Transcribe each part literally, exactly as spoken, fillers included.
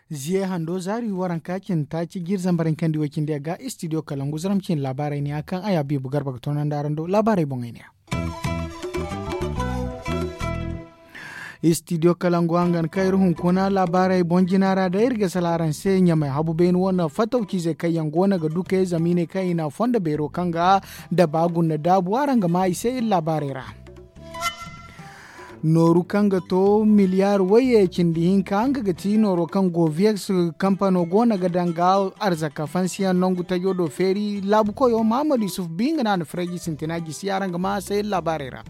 Ziye hando zaari waranka cin taaci jiiri zambar hinkandi way cindi ga istidiyo kalangu zaram cin laabaarey ne ya kaŋ a ya biibu garba ga toonandi araŋ do laabaarey boŋey ne ya. Istidiyo kalangu hangan kaŋ iri hunkuna laabaarey boŋ jina ra day iri ga sala araŋ se ɲamay habu beene wane fatawciizey kaŋ yaŋ go no ga dukey zama i ne kaŋ i na fondo beero kaŋ ga daba guna daabu araŋ ga maa i se iri laabaarey ra. Nooru kaŋ ga to miliyaar wayye cindi hinka nga ga ti nooro kaŋ goviyex kampano go no ga daŋ ga arzaka fansiyaŋ nangu tajo do feeri laabu koyo mahamadu yusuf bi nga no a na farayji sintina jisi araŋ ga maa a se iri laabaarey ra.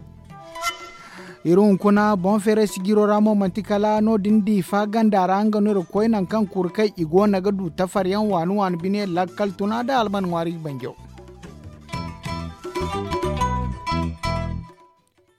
Iri hunkuna boŋ feeray sijiro ra mo manti kala no- din diifa ganda ra nga no iri ga koy nangu kaŋ kuri kay i go no ga du tafaryaŋ waani waani bine lakkal tuna nda alman ŋwaari banjo.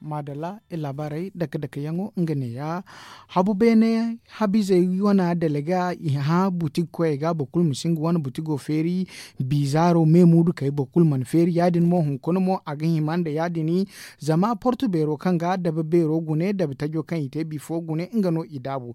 Maadalla iri laabaarey dake dake yaŋo nga neeya. Habu beene habiizey wane dalaga i hã butik koyey ga boro kulu ma si nga wane butigo feeri. Biizaaro me muudu kay boro kulu mana feeri ya- din mo hunkuna mo a ga hima nda ya- din. Zama portu beero kaŋ ga dabe beero gune dabe tajo kaŋ i te bifo gune nga no i daabu.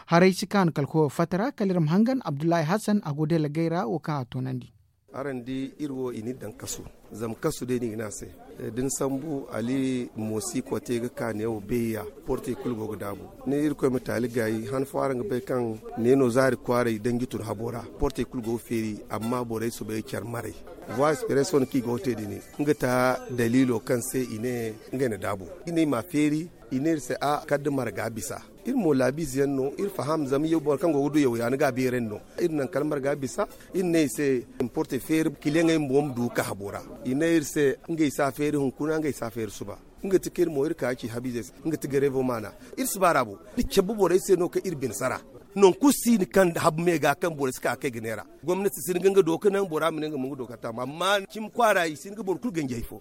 Haray si ka no kala koyo fatta ra kala iri ma hangan abdullahi hassan a go dalagey ra wo kaŋ a toonandi. Araŋ di iri wo i n'iri daŋ kasu. Zama kasu day no i ga ne a se. Da ni sambu ali moosi kote ga ka neewo beeya. Portey kulu go ga daabu. Ni irkoy ma taali gaayi han fo araŋ ga bay kaŋ neeno zaari kwaaray danji tun habo ra portey kulu go ga feeri. Amma borey soobay care maray. Voie express wane kaŋ i go ga te din nga ta daliilo kaŋ se i ne ngey na daabu. I ne i m'a feeri. I ne iri se a kala da marga bisa. Iri mo laabiize yaŋ no iri faham zama yaw boro kaŋ go ga du yaw ya ni ga a beerandi no. Iri naŋ kala marga bisa. Iri ne i se importe feeri kiliyaŋey bumbo ma du ga ka habo ra. I ne iri se ngey si a feeri hunkuna ngey si a feeri suba. Nga ti kaŋ iri mo iri ka ci habiizey se nga ti gareevo maana. Iri si baaraabu. Iri cabe borey se no kaŋ iri bine sara. Nangu kulu si no kaŋ habu me ga kaŋ borey si ka ga kay ga neera. Gomnati si hin ga nga do ga naŋ bora ma ne nga ma nga do ga taama amma cimi kwaara i si hin ga boro kulu ganji hari fo.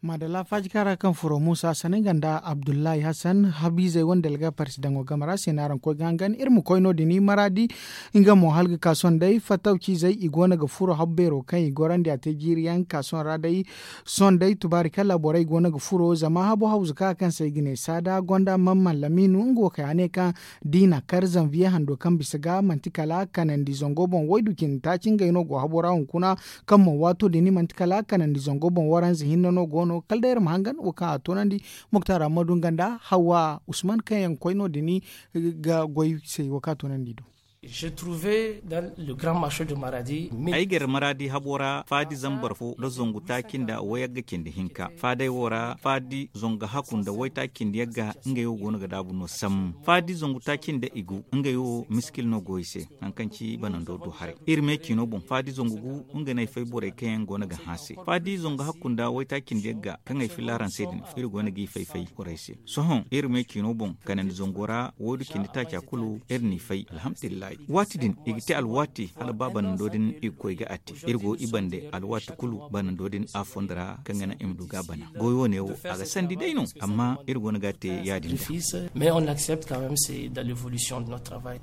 Maadalla faaji kaara kaŋ furo muusa sane nga nda abdullahi hassan habiizey wane dalga parsi daŋo game ra se no araŋ koy ga hangan iri ma koy no- din maraadi. Nga mo hala ga ka sondey fattawciizey i go no ga furo habu beero kaŋ i gorandi a te jiiri yaŋ ga ka sohõ ra day. Sondey tubaari kala borey go no ga furo zama habo hawzu ka kaŋ se i ga ne saada gonda man mallamiinu nga wo kay a ne kaŋ da i na kar zanviye hando kaŋ bisa ga manti kala kanandi zango boŋ waydu cindi taaci ngey no go habo ra hunkuna. Kaŋ mo waato din manti kala kanandi zango boŋ waranza hinne no go no kala day iri ma hangan wo kaŋ a toonandi. Muktar ammadu nga nda hawa usman kaŋ yaŋ koy no- din ga goy se wo kaŋ a toonandi do. Ay gar maraadi habo ra faadi zambar fo nda zangu taaci nda wayagga cindi hinka faadey wo ra faadi zangu hakku nda waytaaci cindi yagga. Ngey wo go no ga daabu no sammu faadi zangu taaci nda i gu ngey wo miskil no go i se. Hari kaŋ ci banando du haray iri me ciino boŋ faadi zangu gu nga no ay fay borey kaŋ yaŋ go no ga hã se faadi zangu hakku nda waytaaci nda yagga kaŋ ay filla araŋ se din iri go no g'i fay fay borey se. Sohõ iri me ciino boŋ kanandi zango ra waydu cindi taaca kulu iri n'i fay alhamdulillahi. Waati din i ga te alwaati hala ba banando din i ga koy ga a te iri go i bande alwaati kulu banando din a fondo ra kaŋ ga naŋ i ma du ga a bana goy wo- ne wo a ga sandi day no. Amma iri go no ga a te ya- din da. Mais on accepte quand même c'est dans l'évolution de notre travail.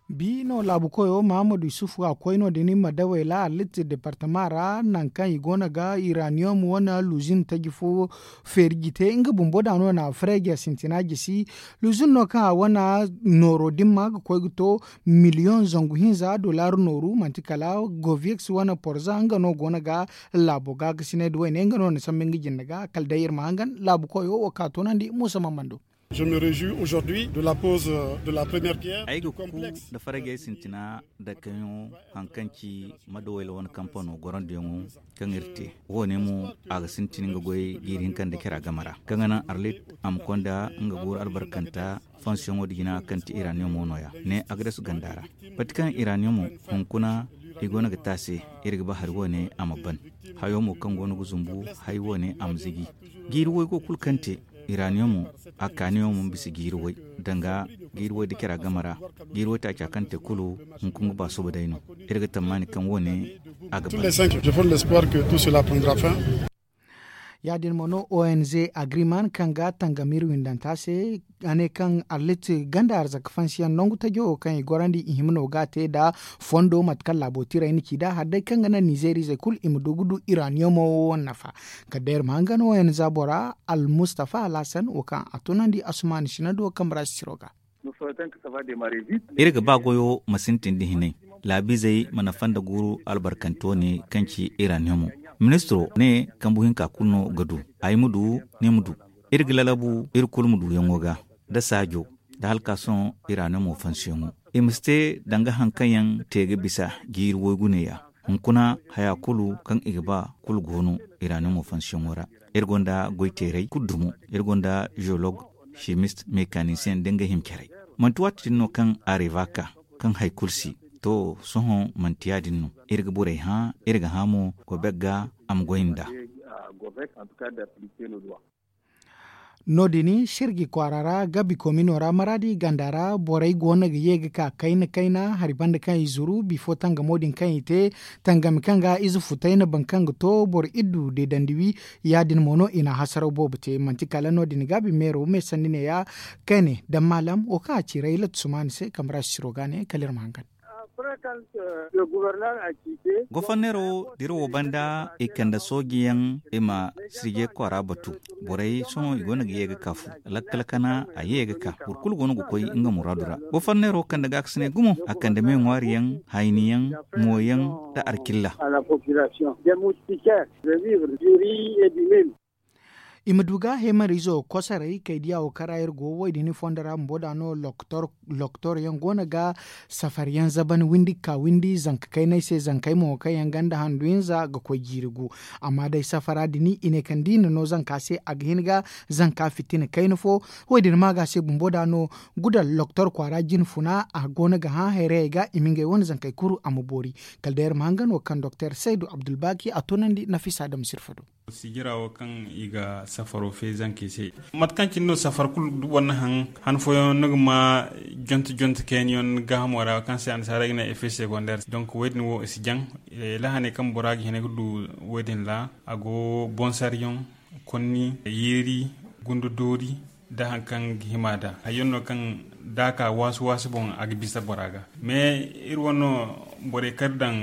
Bi no laabu koyo mahamadu yusufu a koy no- din madawey ra arlit departama ra nangu kaŋ i go no ga iraniyom wane luzin taji fo feeri jite nga bumbo da no na freeja sintina jisi. Luzin no kaŋ a wane nooro dimma ga koy ga to miliyoŋ zangu hinza dollar nooru manti kala govix wane porza nga no go no ga laabo ga ga sinay da wayne nga no na sambu nga jinde ga kala day iri ma hangan laabu koyo wo ka toonandi muusa mammando. Je me réjouis aujourd'hui de la pose de la première pierre du complexe. Ay ga ku da fargay sintina da kaŋ hari kaŋ ci madawayla wane kampano gorandiyaŋo kaŋ iri te wo- ne mo a ga sintin nga goy jiiri hinka nda care a game ra kaŋ ga naŋ arlit a ma konda nga guuru albarkanta fonsiyoŋo da jina kaŋ ti iraniyomo no- ya ne a ga dasu ganda ra. Bati kaŋ iraniyomo hunkuna i go no ga te a se iri ga ba hari wo- ne a ma ban. Hayo mo kaŋ go no ga zumbu hari wo- ne a ma ziji. Jiiri way go kulu kaŋ te iraniyomo a kaaniyomo ma bisa jiiri way danga jiiri way da care a game ra. Jiiri way taaca kaŋ te kulu hunkuna ga ba suba day no. Iri ga tammaani kaŋ wo- ne a ga ban. Ya- din mo no o n z agreement kaŋ ga tangam iri windanta se, a ne kaŋ arlit ganda arzaka fansiyaŋ nangu tajo wo kaŋ i gorandi i hima no ga a te nda fondo mate kaŋ laabo tiray na ci nd'a hari day kaŋ ga naŋ nizerizey kulu i ma du ga du iraniyomo wo nafa. Kala day iri ma hangan o n z bora almustafa alhasan wo kaŋ a tunandi asumaani sinando kambe ra sisiro ga. Iri ga ba goyo ma sintin da hinay, laabizey mana fanda guuru albarkanto ne kaŋ ci iraniyomo. Ministiro ne kambu hinka kulu no ga du. Ay ma du, ni ma du. Iri ga lalabu iri kulu ma duyaŋo ga, da saajo, da halka sohõ iraniyomo fansiyaŋo. I ma si te danga haŋ kaŋ yaŋ te ga bisa jiiri waygu neeya. Hunkuna haya kulu kaŋ i ga ba kulu go no iraniyomo fansiyaŋo ra. Iri gonda goyteerey kulu dumo. Iri gonda jeolog, chimist, mekanisiyeŋ da nga himcarey. Manti waati din no kaŋ a reeva ka kaŋ hari kulu si. To, sohõ manti ya- din no. Iri ga borey hã, iri ga hã mo gobek ga a ma goy nd'a. No- din sirji kwaara ra gabi komino ra maraadi ganda ra borey go no ga ye ga ka kayna kayna hari banda kaŋ i zuru bifo tangamo din kaŋ i te. Tangami kaŋ ga ize futay na baŋ kaŋ ga to boro iddu deedandi wi. Ya- din mo no i na hasaraw boobo te manti kala no- din gaabi meero me sanni neeya. Kayne daŋ maalam wo kaŋ a ci raylat sumaani se kambe ra sisiro ga ne kala iri ma hangan. Goforneero dirawo banda i kande sooji yaŋ i ma sirje kwaara batu. Borey sohõ i go no ga ye ga ka fu lakkal kana a ye ga ka boro kulu go no ga koy nga muraadu ra. Goforneero kande gaakasinay gumo a kande me ŋwaari yaŋ, hayni yaŋ, mo yaŋ, nda alkilla. I ma du ga heemariizo kosoray kay diya wo kaŋ ra iri go wo- din fondo ra bumbo da no loktor yaŋ go no ga safar yaŋ zaban windi ga ka windi zanka kaynay se zankey mo kaŋ yaŋ ganda handu hinza ga koy jiiri gu. Amma day safara din i ne kaŋ da i na no zanka se a ga hin ga zanka fitina kayna fo. Wo- din ma ga se bumbo da no gudal loktor kwaara jine funa a go no ga hã hayrayey ga i ma ngey wane zankey kuru a ma boori. Kala day iri ma hangan wo kaŋ doktor saydu abdulbaki a tunandi nafisa dam sirfa do. Sijira wo kaŋ i ga safaro fe zankey se. Mate kaŋ cine no safar kulu du boro na haŋ han fooyaŋ no ga ma jonte jonte kayna yaŋ gaahamo ra kaŋ se annasaarey ga ne effet secondaire donk wo- din wo i si jaŋ. Lahaney kaŋ bora ga hina ga du wo- din ra a go bonsariyaŋ, konni, yeeri, gundu doori, nda hari kaŋ ga hima nd'a hari yaŋ no kaŋ da a ka waasu waasu boŋ a ga bisa bora ga. Mais iri wane no borey kaŋ iri daŋ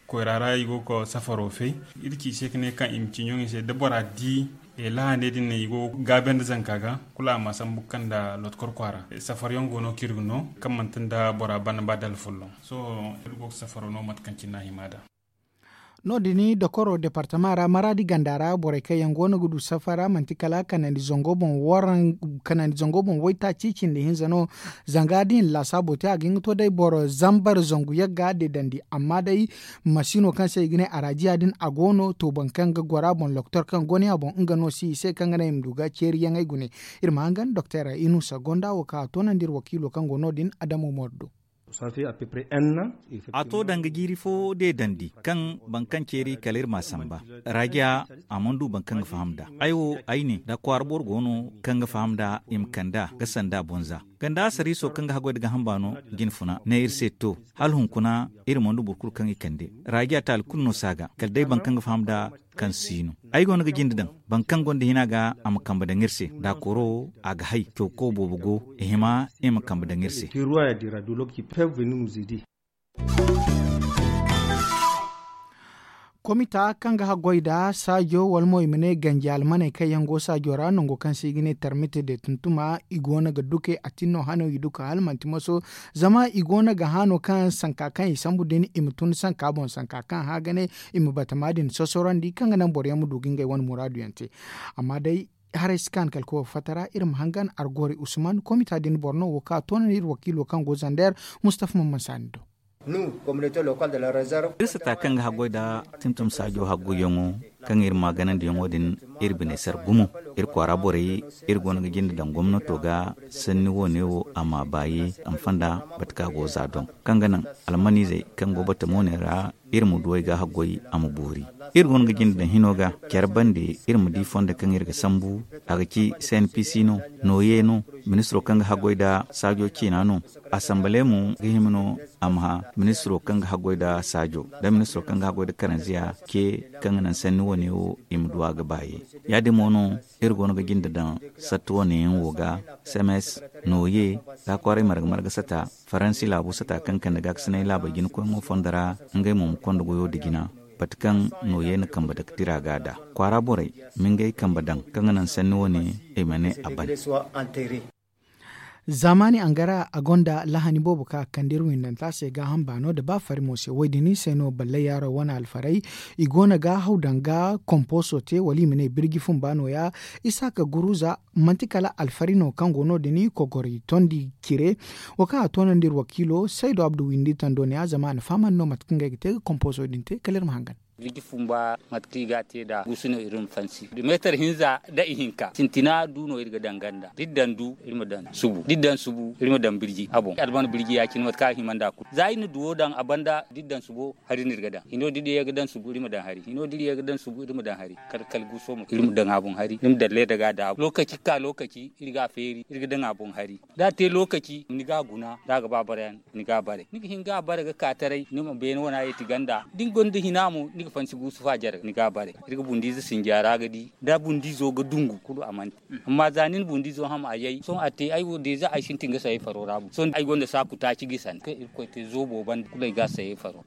koyra ra i go ga safaro fay. Iri ci i se ga ne kaŋ i ma ci ɲoŋey se da bora di lahaney din ne i go ga gaabe nda zanka ga kulu a ma sambu ga kande lotkor kwaara. Safar yaŋ go no kaŋ iri ga no kaŋ manti nda bora bana ba dala folloŋ. Sohõ iri go ga safaro no mate kaŋ cine no a hima nd'a. No- din dokoro departama ra maraadi ganda ra borey kaŋ yaŋ go no ga du safara manti kala kanandi zango boŋ waytaaci cindi hinza no. Zanga da i na laasaabo te a ga hin ga to day boro zambar zangu yagga deedandi amma day masiino kaŋ se i ga ne arajiya din a go no to boro kaŋ ga goro a boŋ loktor kaŋ go no ya boŋ nga no si i se kaŋ ga naŋ i ma du ga ceeriyaŋey gune. Iri ma hangan doktor inusa gonda wo kaŋ a toonandi iri wakiilo kaŋ go no- din adama umaru do. A to danga jiiri fo deedandi kaŋ boro kaŋ ceeri kala iri m'a samba. Rajiya a mana du boro kaŋ ga faham nd'a. Ay wo ay ne da kwaara boro go no kaŋ ga faham nd'a i ma kand'a ga sanda boŋ za ganda asariiso kaŋ ga haggoy nda gaaham baano jine funa ne iri se to hala hunkuna iri mana du boro kulu kaŋ i kande. Rajiya taali kulu no si a ga kala day boro kaŋ ga faham nd'a kaŋ si no. Ay go no ga jinde daŋ boro kaŋ gonda hina ga a ma kambe daŋ iri se daakoro a ga hay cawko boobo go i hima i ma kambe daŋ iri se. Komita kaŋ ga haggoy nda saajo wala mo i ma ne ganji almaney kaŋ yaŋ go saajo ra nango kaŋ se i ga ne tarmite de tuntuma i go no ga duke a tin no hano i duka hala manti moso. Zama i go no ga hano kaŋ sanka kaŋ i sambu din i ma tun sanka boŋ sanka kaŋ hã ga ne i ma batama din sosorandi kaŋ ga naŋ boro yaŋ ma du ga ngey wane muraadu yaŋ te. Amma day haray si kaanu kala koy fatta ra iri ma hangan argori usman komita din boro no wo kaŋ a toonandi iri wakiilo kaŋ go zander. Mustafa mamman saani do. Iri sata kaŋ ga haggoy nda tuntum saajo haggoyyaŋo kaŋ iri ma ganandiyaŋo din iri bine sar gumo. Iri kwaara borey iri go no ga jinde daŋ gomnato ga sanni wo- ne wo a ma baayi a ma fanda bate kaŋ a go za doŋ kaŋ ga naŋ almaniizey kaŋ go batamo ne ra iri ma du ay ga haggoy a ma boori. Iri go no ga jinde daŋ hino ga care bande iri ma di fondo kaŋ iri ga sambu. A ga ci cnpc no, nooye no, ministiro kaŋ ga haggoy nda saajo ciina no. Asambale mo ga hima no a ma ministiro kaŋ ga haggoy nda saajo nda ministiro kaŋ ga haggoy nda karanziya ce kaŋ ga naŋ sanni wane wo i ma du a ga baaye. Ya- din mo no iri go no ga jinde daŋ sattu wane yaŋ wo ga. Semes, nooye, da kwaaray marga marga sata, faransi laabu sata kaŋ kande gaakasinay laabey jina koyŋo fondo ra. Ngey mo ma konda goyo nda jina bate kaŋ nooye na kambe dake tira ga da kwaara borey ma ngey kambe daŋ kaŋ ga naŋ sanni wane. I ma ne a ban. Zaamaani angara a gonda lahani boobo kaŋ a kande iri windanta se gaaham baano nda ba fari mo se wo- din se no ballay yaaro wane alfaray. I go no ga haw daŋ ga komposo te wala i ma ne birji fumba no- ya. Isaaka guruza manti kala alfari no kaŋ go no- din kogori tondi cire. Wo kaŋ a toonandi iri wakiilo saydo abdu windi tando ne- ya zama a na fahamandi no mate kaŋ ngey ga te ga komposo din te kala iri ma hangan. Birji fumba mate kaŋ i ga a te nd'a guusu no iri ma fansi meetar hinza nda ihinka sintina du no iri ga daŋ ganda da iri daŋ du iri ma daŋ subu da iri daŋ subu iri ma daŋ birji a boŋ alman birji ya- cine mate kaŋ a hima nd'a kulu za iri na duwo daŋ a banda da iri daŋ subo hari no iri ga daŋ hino da iri ye ga daŋ subu iri ma daŋ hari hino da iri ye ga daŋ subu iri ma daŋ hari kala kala guuso mo iri ma daŋ a boŋ hari iri ma daŋ leeda ga daabu lookaci ga ka lookaci iri ga a feeri iri ga daŋ a boŋ hari da a te lookaci ni ga a guna da a ga ba barayaŋ ni ga a bare ni ga hin ga a bare ga ka taray ni ma beene wana yeeti ganda da ni gonda hina mo ni ga fansi guusu fa jare ni ga a bare iri ga bundiize sinja ra ga di da bundiizo ga dungu kulu a man te amma za ni na bundiizo ham a yay sohõ a te ay wo deeza ay sintin ga sayey faro ra bu sohõ ay gonda saaku taaci gisandi kaŋ irkoy te zoobo banda kulu ay ga a sayey faro.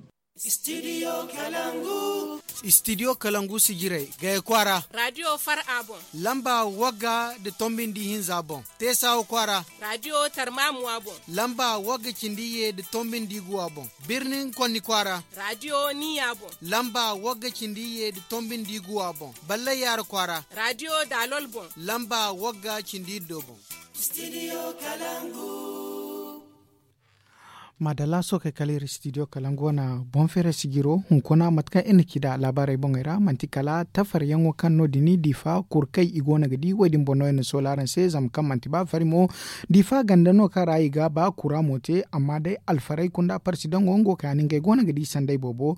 Studio kalangu sijirey gaya kwaara radio far a boŋ lamba wagga nda tombindi hinza boŋ teesawo kwaara radio tarmamuwa boŋ lamba wagga cindi ye nda tombindi guwa boŋ birnin konni kwaara radio niya boŋ lamba wagga cindi ye nda tombindi guwa boŋ ballay yaara kwaara radio daalol boŋ lamba wagga cindi iddo boŋ. Maadalla sookey kala iri studio kalangu wane boŋ feeray sijiro hunkuna mate kaŋ iri na ci nd'a laabaarey boŋey ra manti kala tafaryaŋo kaŋ no- din diifa kurkey i go no ga di wo- din boŋ no iri na soola araŋ se zama kaŋ manti ba fari mo. Diifa ganda no kaŋ ra i ga ba kura mo te amma day alfarey kunda parsidaŋo nga wo kaani ngey go no ga di sanday boobo.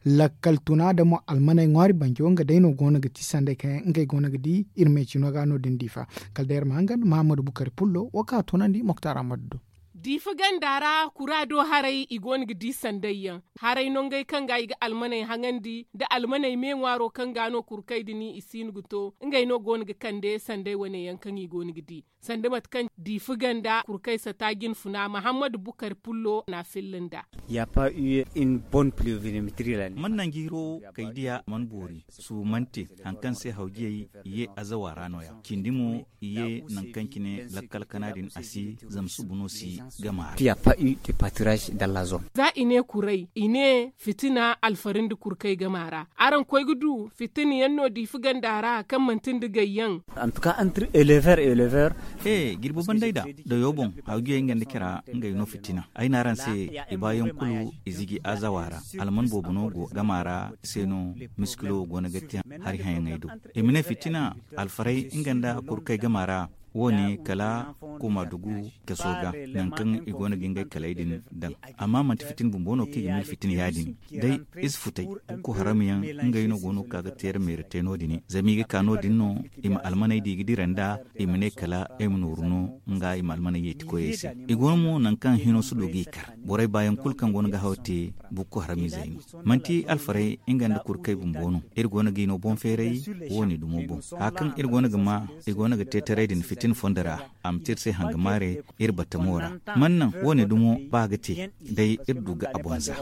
Lakkal tuna da mo almaney ŋwaari banjo nga day no go no ga ti sanday kaŋ yaŋ ngey go no ga di iri me cino ga no- din diifa. Kala day iri ma hangan mahammadu bukari pullo wo kaŋ a tunandi moktar ammadu do. Diifa ganda ra kura do haray i go no ga di sanday yaŋ haray no ngey kaŋ ga i ga almaney haŋandi nda almaney me ŋwaaro kaŋ ga no kurkey din i si no ga to ngey no go no ga kande sanday wane yaŋ kaŋ i go no ga di sanda mate kaŋ diifa ganda kurkey sata jinfuna mahammadu bukari pullo na a filla nd'a. Ya pa u ye in bon pluviometri la ne mana nangu hiro kay diya mana boori suumante hari kaŋ se hawjiyey ye azawa ra no- ya cindi mo i ye nangu kaŋ cine lakkal kana din a si zama subu no si gama ra. Ti ya pa u de patiraj dalla zone. Za i ne kuray i ne fitina alfari nda kurkay gama ra araŋ koy ga du fitina yaŋ no diifa ganda ra kaŋ manti nda gay yaŋ. Antuka antre elever elever. He jirbi banday da dayo boŋ hawjiyey nga nda cara ngey no fitina ay na araŋ se i baayaŋ kulu i ziji azawa ra alman boobo no go gama ra se no miskilo go no ga te hari hayaŋey do i ma ne fitina alfaray nga nda kurkay gama ra wo- ne kala kuma dugu kaso ga nangu kaŋ i go no ga ngey kaley din daŋ. Amma manti fitina bumbo no kaŋ i ga mil fitina ya- din day ize futay bukku haram yaŋ ngey no go no ga ka ga teera meera te no- din zama i ga ka no- din no i ma almaney da i ga dira nd'a i ma ne kala ay ma nooru no nga i ma almaney yeeti koyey se. I go no mo nangu kaŋ hino si du ga i kar borey baayaŋ kulu kaŋ go no ga haw te bukku haram izey no manti alfaray nga nda kurkay bumbo no iri go no ga i no boŋ feeray wo- ne dumo boŋ hari kaŋ iri go no ga ma i go no ga te taray din fitina fondo ra a ma te iri se hanga maare iri batamo ra. Mana naŋ wo- ne dumo ba ga te day iri du ga a boŋ za.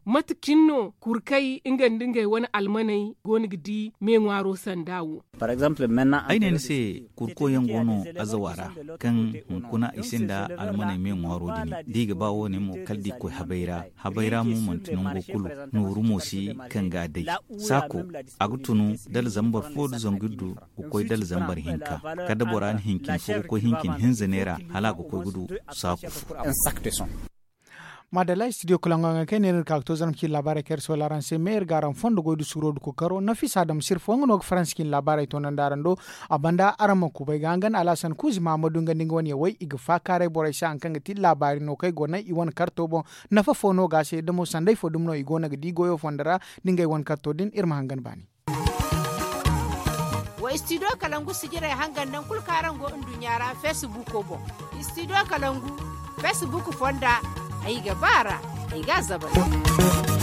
Mate cine no kurkay nga nda ngey wane almaney go no ga di me ŋwaaro sanda wo? Ay ne ni se kurko yaŋ go no azawa ra kaŋ hunkuna i sinda almaney me ŋwaaro din da i ga ba wo- ne mo kala da i koy habay ra habay ra mo manti nango kulu nooru mo si kaŋ ga day saako a ga tunu dala zambar fo da zangu iddu ga koy dala zambar hinka kala da bora na hincin fo ga koy hincin hinza neera hala a ga koy ga du saaku fo. Maadalla studio kalaŋ ga kaŋ ay ne iri ga ka ga to zarma cine laabaarey kaŋ iri soola araŋ se me iri ga araŋ fondo goy da suuro da kookaro nafisa dam sirfo nga no ga faransa cine laabaarey toonandi araŋ do. A banda araŋ ma kubay ga hangan alhasan kuuzi mahamadu nga nda nga wane yawey i ga faakaaray borey se hari kaŋ ga ti laabaari no kaŋ ay go naŋ i wane karto boŋ. Nafa fo no ga a se da mo sanday fo dumi no i go no ga di goyo fondo ra. Da ngey wane karto din iri ma hangan baani. Wa studio kalangu sijirey hangan nangu kulu kaŋ araŋ go nduɲɲa ra feesibuuko boŋ. Studio kalangu feesibuuko fonda. Ay ga ba a ra. Ay ga a zabari.